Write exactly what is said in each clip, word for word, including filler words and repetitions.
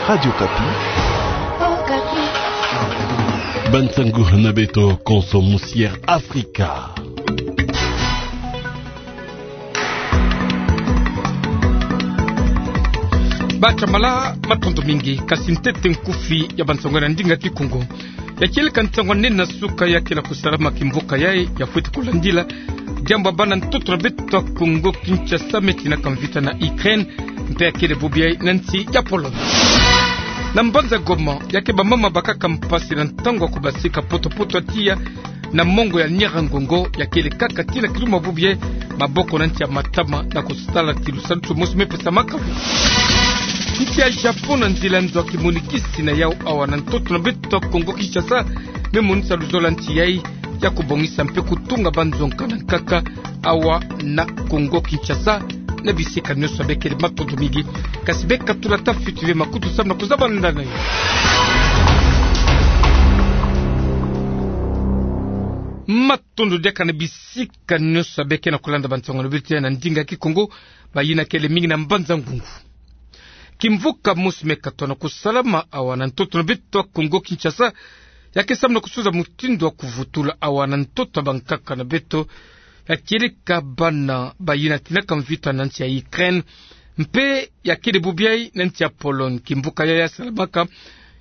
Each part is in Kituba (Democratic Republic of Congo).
Radio Okapi. Bansangu na beto konso musière Afrika. Bachambala, matondo mingi, kasi ntete nkufi ya bansangu na ndinga Kikongo. Ya kieleka nsangu nene na suka ya kele kusalama kimvuka yayi, ya fweti kulandila diambu bana ntoto na beto Kongo Kinshasa me tinaka mvita na Ukraine, mpe ya kele bubu yayi na nsi ya Pologne. Na mbanza Goma, ya ke bamama bakaka mpasi na ntangu ya kubasika poto-poto ya tiya na mongo ya Nyiragongo, ya kele kaka tina kiluma bubu yayi, maboko na nsi ya matama na kusala ti lusadusu mosi me pesamaka. Nsi ya Japon na nzila nzo ya kimonikisi na yawu awa na ntoto na beto Kongo Kinshasa, me monisa luzolo ya nsi yayi ya kubongisa mpe kutunga banzo nkaka na nkaka awa na Kongo Kinshasa, na bisika nyonso. Bekele matondo mingi, kasi bekatula ta fioti ve makutu samu na kuzaba nda na yo. Matondo diaka na bisika nyonso beke na kulanda bansangu na beto na ndinga Kikongo, bayina kele mingi na mbanza Ngungu. Kimvuka mosi me katwa na kusalama awa na ntoto na beto Kongo Kinshasa, ya ke samu na kusuza mutindu wa kuvutula awa na ntoto ya bankaka na beto, ya kieleka bana bayina tinaka mvita na nsi ya Ukraine, mpe ya kele bubu yayi na nsi ya Pologne. Kimvuka yayi ya salamaka,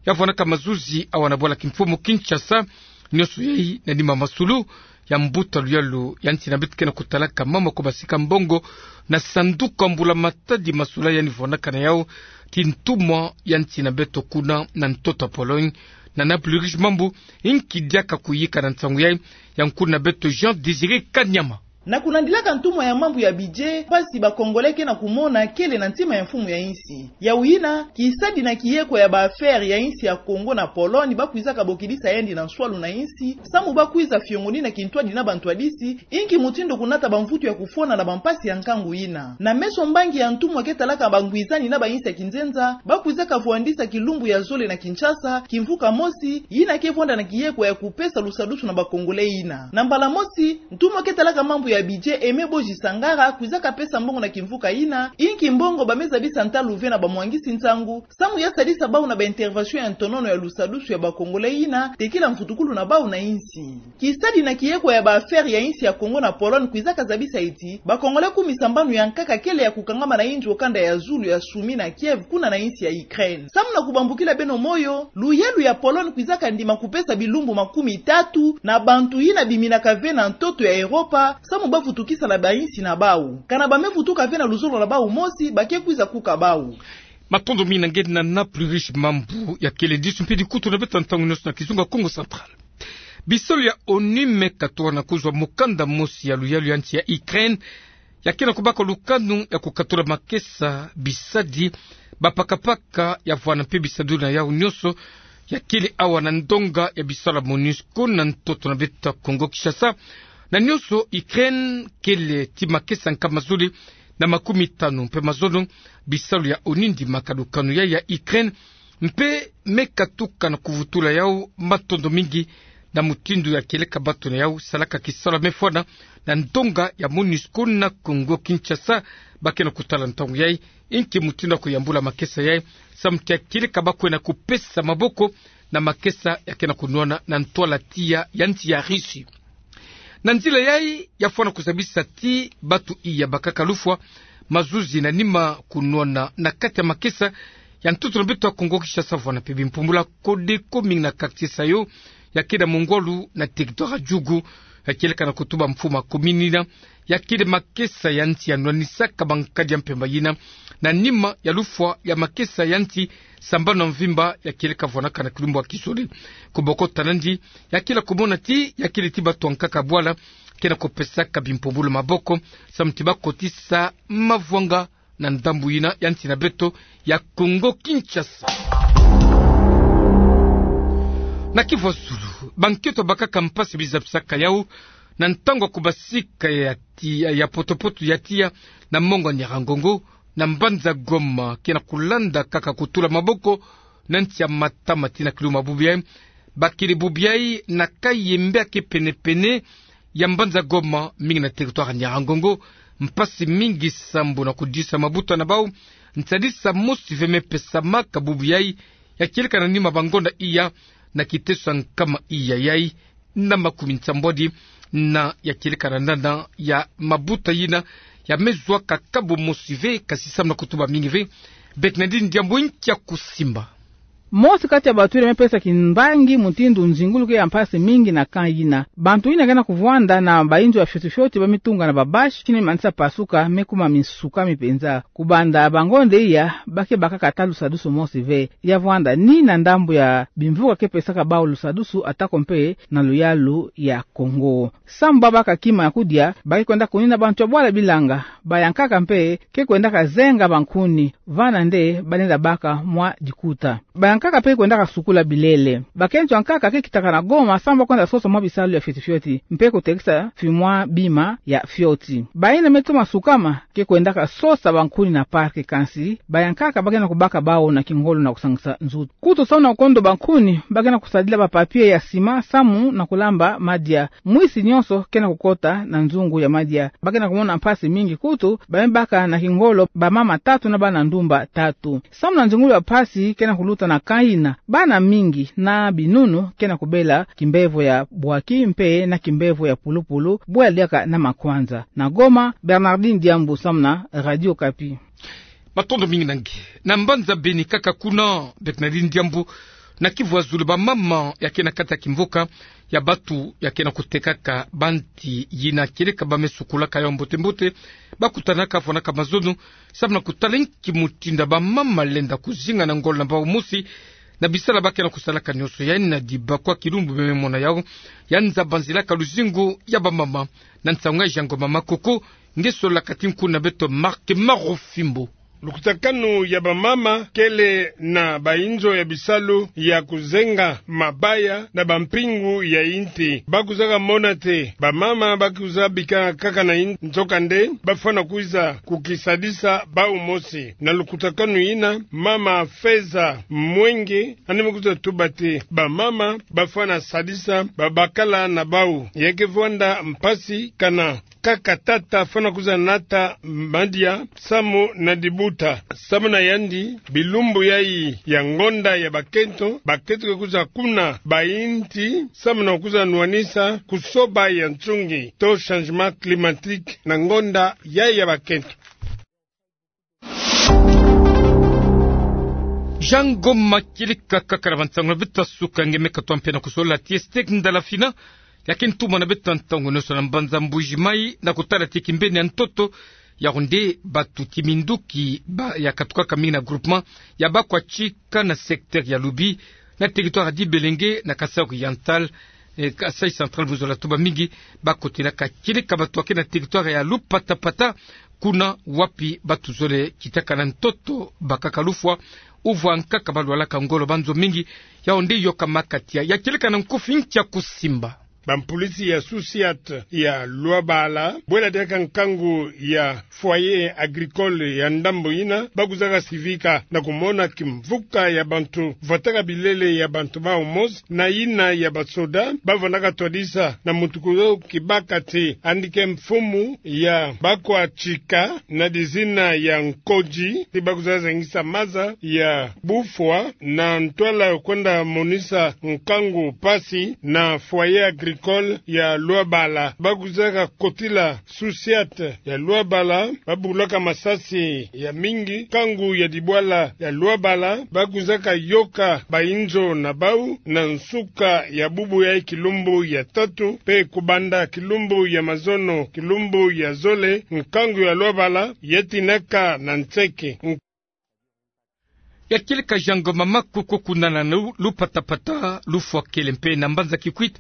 ya vwanaka mazuzi awa na bwala kimfumu Kinshasa, nyonso yayi na nima masulu ya mbuta luyalu ya nsi na beto ke na kutalaka mama kubasika mbongo na sanduku ya mbula-matadi masula yandi vwanaka na yawu ti ntumwa ya nsi na beto kuna na ntoto ya Pologne, na Naples Rich Mambu, inki diaka kuyika na nsangu yayi ya nkulu na beto Jean Désiré Kanyama. Na kulandilaka ntumwa ya mambu ya budget, mpasi ba Congolais ke na kumona kele na ntima ya mfumu ya insi. Yawu yina, kisadi na kieko ya ba affaires ya insi ya Congo na Pologne ba kwizaka bokidisa yandi na nswalu na insi, samu ba kwiza fiongonina kintwadi na bantwadisi, inki mutindu kunata bamvutu ya kufona na bampasi ya nkangu yina. Na meso mbangi ya ntumwa ke talaka bangwizani na bainsi ya kinzenza, ba kwizaka vwandisa kilumbu ya zole na Kinshasa, kimvuka mosi, yina ke vwanda na kieko ya kupesa lusadusu na ba Congolais yina. Na mbala mosi, ntumwa ke talaka mambu ya budget Aimé Boji Sangara kwizaka pesa mbongo na kimvuka yina, inki mbongo ba me zabisa ntalu ve na bamwangisi nsangu, samu ya sadisa bawu na ba intervention ya ntonono ya lusadusu ya ba Congolais yina, tekila mvutukulu na bawu na insi. Kisadi na kieko ya ba affaires ya insi ya Congo na Pologne kwizaka zabisa ti, ba Congolais kumi sambanu ya nkaka kele ya kukangama na inzo kanda ya zulu ya Soumy na Kiev kuna na insi ya Ukraine. Samu na kubambukila beno moyo, luyalu ya Pologne kwizaka ndima kupesa bilumbu makumi tatu na bantu yina biminaka ve na ntoto ya Europa, samu ba vutukisa na bainsi na bawu. Kana ba me vutuka ve na luzolo na bawu mosi, ba ke kwiza kuka bawu. Matondo mingi na nge na Naples Rich Mambu, ya kele disu mpe dikutu na beto ntangu nyonso na kizunga Kongo Central. Bisalu ya ONU me katwa na kuzwa mukanda mosi ya luyalu ya nsi ya Ukraine, ya ke na kubaka lukanu ya kukatula makesa, bisadi, bapakapaka ya vwana mpe bisadulu na yawu nyonso, ya kele awa na ndonga ya bisalu ya MONUSCO na ntoto na beto Kongo Kinshasa, na nyonso Ukraine kele ti makesa nkama zole na makumi tanu mpe mazono. Bisalu ya ONU ndimaka lukanu yayi ya Ukraine, mpe me katuka na kuvutula yawu matondo mingi na mutindu ya kieleka bato na yawu salaka kisalu ya me fwana na ndonga ya MONUSCO na Kongo Kinshasa. Ba ke na kutala ntangu yayi inki mutindu ya kuyambula makesa yayi, samu ti ya kieleka ba kwenda kupesa maboko na makesa ya ke na kunwana na ntwala tiya ya nsi ya Russie. Na nzila yayi ya fwana kuzabisa ti bato iya bakaka lufwa, mazuzi na nima kunwana na kati ya makesa ya ntoto na beto ya Kongo Kinshasa, vwana mpe bimpumbulu ya Codeco mingi na quartier Sayo, ya kele mungwalu na territoire ya Djugu, ya kieleka na kutuba mfumu ya commune yina, ya kele makesa ya nsi ya nwanisaka bankadi ya mpemba yina, na nima ya lufwa ya makesa ya nsi sambanu ya mvimba ya kieleka vwanaka na kilumbu ya kizole. Kubokota nandi, ya kele kumona ti ya kele ti bato ya nkaka bwala ke na kupesaka bimpumbulu maboko, samu ti ba kotisa mavwanga na ndambu yina ya nsi na beto ya Kongo Kinshasa. Na Kivu ya Zulu, bankento bakaka mpasi bizabisaka yawu na ntangu ya kubasika ya ti-, ya potopoto ya tiya na mongo ya Nyiragongo, na mbanza Goma, ke na kulanda kaka kutula maboko na nsi ya matama tii na kiluma bubu yayi. Bakele bubu yayi na Kayembe ya ke pene-pene ya mbanza Goma, mingi na territoire ya Nyiragongo, mpasi mingi sambu na kudisa mabuta na bawu Nsadisa mosi ve me pesama ka bubu yai, ya kieleka na nima ba ngonda iya, na kiteso ya nkama iya yai, na makumi nsambwadi, na ya kieleka na nana ya mabuta yina, ya me zwa ka kabu mosi ve, kasi samu na kutuba mingi ve, Bernardine Ndiambu nkia kusimba. Mosi kati ya baturile me pesa kimbangi mutindu nzingulu ke ya mpasi mingi na camp yina. Bantu yina ke na kuvwanda na bainzo ya fioti fioti, ba me tunga na ba bâche, kini manisa pasuka, me kuma misuka mi penza. Kubanda ba ngonda iya, ba ke bakaka ata lusadusu mosi ve. Ya vwanda ni na ndambu ya bimvuka ke pesaka bau lusadusu, atako mpe na luyalu ya Kongo. Samu ba baka kima ya kudia, ba ke kwenda kunina bantu ya bwala bilanga. Bayankaka mpe ke kwendaka zenga bankuni, vana nde ba lenda baka mwa dikuta. Bayankaka mpe ke kwendaka sukula bilele. Bakento yankaka ke kitaka na Goma samu ba kwenda sosa mwa bisalu ya fioti fioti, mpe kutekisa fimwa bima ya fioti. Bayina me toma sukama ke kwendaka sosa bankuni na parc, kansi bayankaka ba ke na kubaka bau na kingolo na kusangisa nzutu. Kutu samu na kukondo bankuni, ba ke na kusadila ba papier ya sima samu na kulamba madia. Mwisi nyonso ke na kukota na nzungu ya madia. Ba ke na kumona mpasi mingi, kutu ba me baka na kingolo bamama tatu na bana ndumba tatu. Samu na nzingulu ya mpasi ke na kuluta na camp yina, bana mingi na binunu ke na kubela kimbevo ya bwaki mpe na kimbevo ya pulupulu, bwe ya diaka na makwanza. Na Goma, Bernardine Ndiambu samu na Radio Okapi. Matondo mingi na nge. Na mbanza Beni kaka kuna, Bernardine Ndiambu, na Kivu ya zulu, bamama ya ke na kati ya kimvuka ya bantu ya ke na kutekaka banti yina kieleka ba me sukulaka yau mbote mbote, ba kutanaka, vwanaka mazono, samu na kutala nki mutindu bamama lenda kuzinga na ngolo na bau mosi, na bisala ba ke na kusalaka nyonso. Yandi na dibakwa kilumbu me me mona yau, ya nza banzilaka luzingu ya bamama. Na nsangu ya Jean Ngoma Makoko, nge sololaka ti nkuna beto Marc Marofimbo. Lukutakanu ya bamama kele na bainzo ya bisalu ya kuzenga mabaya na bampingu ya inti. Ba kwizaka mona te bamama ba kwiza bika kaka na inti, nzokande ba fwana kwiza kukisadisa bau mosi. Na lukutakanu yina, mama Feza Mwenge, yandi me kwiza tuba te bamama ba fwana sadisa babakala na bau. Ya ke vwanda mpasi kana kaka tata fwana kwiza nata madia samu na dibuta. Samu na yandi, bilumbu yai ya ngonda ya bakento, bakento ke kwiza kuna ba inti samu na kwiza nwanisa kusoba ya nsungi, to changement climatique, na ngonda yai ya bakento. Jean Ngoma, kieleka kaka na bansangu na beto ya suka, nge me katoa mpe na kusolola ti Estec Ndala Fina, ya ke ntumwa na beto ya ntangu nyonso na mbanza Mbuji Mayi, na kutala ti kimbeni ya ntoto, yau nde bantu ti minduki ba ya katukaka mingi na groupement ya Bakwachika na secteur ya Lubi, na territoire ya Dibelenge, na Kasaï Oriental, eh, Kasaï Central, buzola tuba mingi, ba kotelaka. Kieleka bantu ya ke na territoire ya Lupatapata, kuna wapi bantu zole kitaka na ntoto, bakaka lufwa, uvwa nkaka balwalaka ngolo, banzo mingi, yau nde yokamaka tia. Ya kieleka na nkufi nkia kusimba. Bampulisi ya SUSIAT ya Luabala, bwela diaka nkangu ya foyer agricole ya ndambu yina, ba kwizaka sivika na kumona kimvuka ya bantu vwataka bilele ya bantu bau mosi na yina ya basoda. Ba vwandaka twadisa na mutuku yo kibaka te yandi ke mfumu ya Bakwachika na dizina ya Nkoji, ti ba kwizaka zengisa maza ya bufwa na ntwala kwenda monisa nkangu mpasi na foyer agricole ya Luabala. Ba kwizaka kotila SUSIAT ya Luabala, ba bulaka masasi ya mingi. Nkangu ya dibwala ya Luabala, ba kwizaka yoka bainzo na bau na nsuka ya bubu yai, kilumbu ya tatu, mpe kubanda kilumbu ya mazono, kilumbu ya zole, nkangu ya Luabala ya tinaka na nseke. Ya kieleka Jean Ngoma Makoko, kuna na Lu-, Lupatapata, lufwa kele mpe na mbanza Kikwit,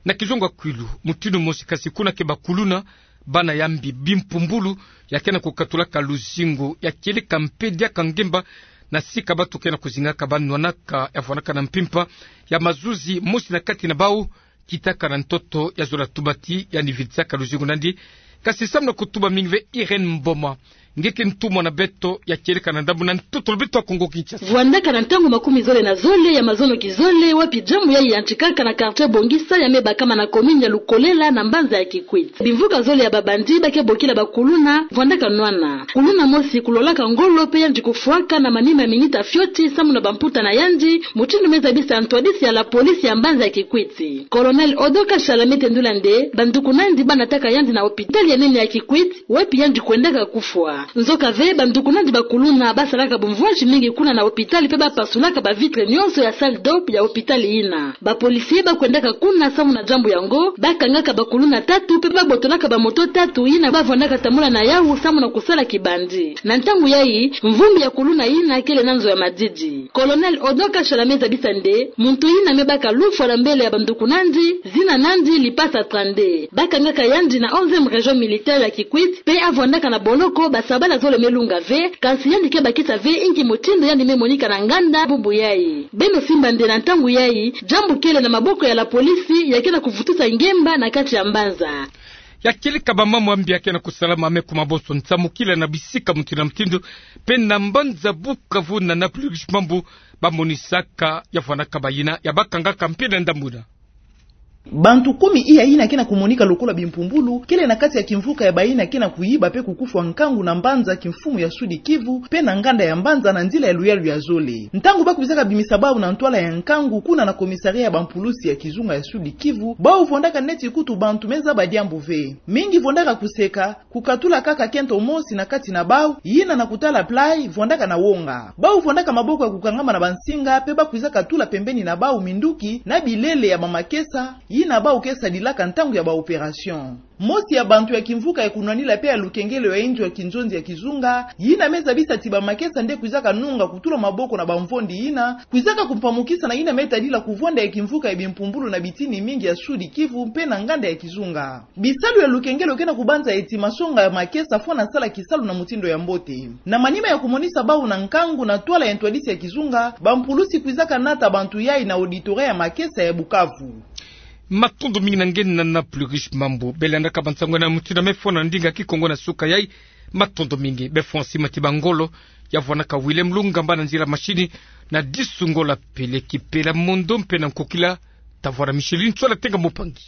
na kizongo ya Kwilu, mutindu mosi. Kasi kuna ke bakuluna, bana ya mbi, bimpumbulu, ya ke na kukatulaka luzingu. Ya kieleka mpe diaka ngemba na sika bantu ke na kuzingaka, ba nwanaka, ya vwanaka na mpimpa ya mazuzi, mosi na kati na bau kitaka na ntoto, ya zola tuba ti yandi vidisaka luzingu na yandi. Kasi samu na kutuba mingi ve, Irène Mboma, Nge ke ntumwa na beto ya kieleka na ndambu na ntoto lo beto ya Kongo Kinshasa. Vwandaka na ntangu makumi zole na zole ya mazono kizole, wapi jambu yayi yantikaka na quartier Bongisa ya me bakama na commune ya Lukolela na mbanza ya Kikwit. Bimvuka zole ya ba bandit ba ke bokila bakuluna, vwandaka nwana. Kuluna mosi kulolaka ngolo pe yandi kufwaka na manima ya minita fioti samu na bamputa na yandi, mutindu me zabisa ntwadisi ya la police ya mbanza ya Kikwit. Colonel Odo Kashala me tendula nde, bandukunandi ba nataka yandi na hôpital ya nene ya Kikwit, wapi yandi kwendaka kufwa. Nzoka ve, bandukunandi bakuluna ba salaka bumvwazi mingi kuna na hôpital pe ba pasulaka ba vitre nyonso ya salle d'op ya hôpital yina. Ba policiers ba kwendaka kuna samu na jambu yango, ba kangaka bakuluna tatu pe ba botolaka ba moto tatu yina ba vwandaka tambula na yawu samu na kusala kibandit. Na ntangu yayi, mvumbi ya kuluna yina kele na nzo ya madidi. Colonel Odo Kashala me zabisa nde, muntu yina me baka lufwa na mbele ya bandukunandi, zina nandi Lipasa Trande. Ba kangaka yandi na onzième région militaire ya Kikwit, pe avwandaka na boloko basabala zole me lunga ve, kansi yandi ke bakisa ve inki mutindu yandi me monika na nganda bubu yayi. Beno simba nde na ntangu yayi, jambu kele na maboko ya la police ya ke na kuvutusa ngemba na kati ya mbanza. Ya kieleka bamambu ya mbi ya ke na kusalama me kuma bonso nsamukila na bisika mutindu na mutindu, pe na mbanza Bukavu na Naples Mambu ba monisaka ya vwandaka bayina ya ba kangaka mpe na ndambu yina. Bantu kumi iya yina ke na kumonika lokola bimpumbulu, kele na kati ya kimvuka ya bayina ke na kuyiba pe kukufwa nkangu na mbanza kimfumu ya Sud-Kivu, pe na nganda ya mbanza na nzila ya luyalu ya zole. Ntangu ba kwizaka bimisa bawu na ntwala ya nkangu kuna na commissariat ya bampulusi ya kizunga ya Sud-Kivu, bawu vwandaka neti kutu bantu me zaba diambu ve. Mingi vwandaka kuseka, kukatula kaka kento mosi na kati na bawu, yina na kutala play, vwandaka na wonga. Bawu vwandaka maboko ya kukangama na bansinga, pe ba kwizaka tula pembeni na bawu minduki na bilele ya bamakesa, yina bawu ke sadilaka ntangu ya ba opération. Mosi ya bantu ya kimvuka ya kunwanila pe ya lukengelo ya inzo ya kinzonzi ya kizunga, yina me zabisa ti bamakesa nde kwizaka nunga kutula maboko na bamvondi yina, kwizaka kumpamukisa na yina me tadila kuvwanda ya kimvuka ya bimpumbulu na bitini mingi ya Sud-Kivu mpe na nganda ya kizunga. Bisalu ya lukengelo ke na kubanza eti masonga ya makesa fwana sala kisalu na mutindu ya mbote. Na manima ya kumonisa bawu na nkangu na ntwala ya ntwadisi ya kizunga, bampulusi kwizaka nata bantu yayi na auditoriat ya makesa ya Bukavu. Matondo mingi na nge na Naples Mambu. Bele landaka bansangu na mutindu ya me fwana na ndinga Kikongo na suka yayi. Matondo mingi. Be fwana sima ti bangolo, ya vwandaka Willem Lungamba na nzila machine, na disu ngolo pele kipela mondo mpe na nkokila, ta vwara Micheline Tsola Tenga Mopangi.